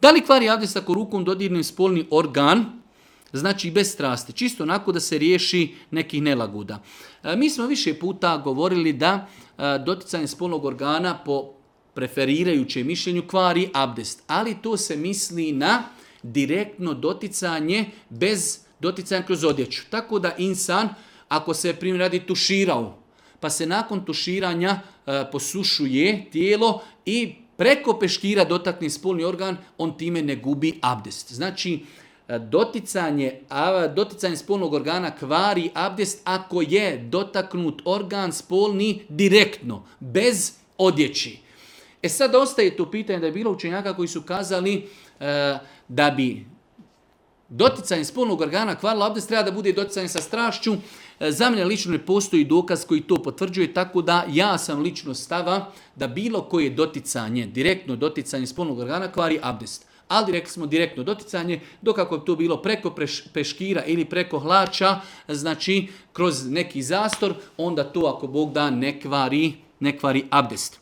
Da li kvari abdest ako rukom dodirnem spolni organ? Znači bez strasti, čisto onako da se riješi nekih nelagoda. Mi smo više puta govorili da doticanje spolnog organa po preferirajućem mišljenju kvari abdest, ali to se misli na direktno doticanje bez doticanja kroz odjeću. Tako da insan, ako se primjer radi tuširao, pa se nakon tuširanja posušuje tijelo i preko peškira dotakne spolni organ, on time ne gubi abdest. Znači, doticanje spolnog organa kvari abdest ako je dotaknut organ spolni direktno, bez odjeći. Sad ostaje to pitanje da je bilo učenjaka koji su kazali da bi doticanje spolnog organa kvarilo abdest, treba da bude doticanje sa strašću. Za mene lično ne postoji dokaz koji to potvrđuje, tako da ja sam lično stava da bilo koje doticanje, direktno doticanje spolnog organa kvari abdest. Ali rekli smo direktno doticanje, dok ako bi to bilo preko peškira ili preko hlača, znači kroz neki zastor, onda to ako Bog da ne kvari abdest.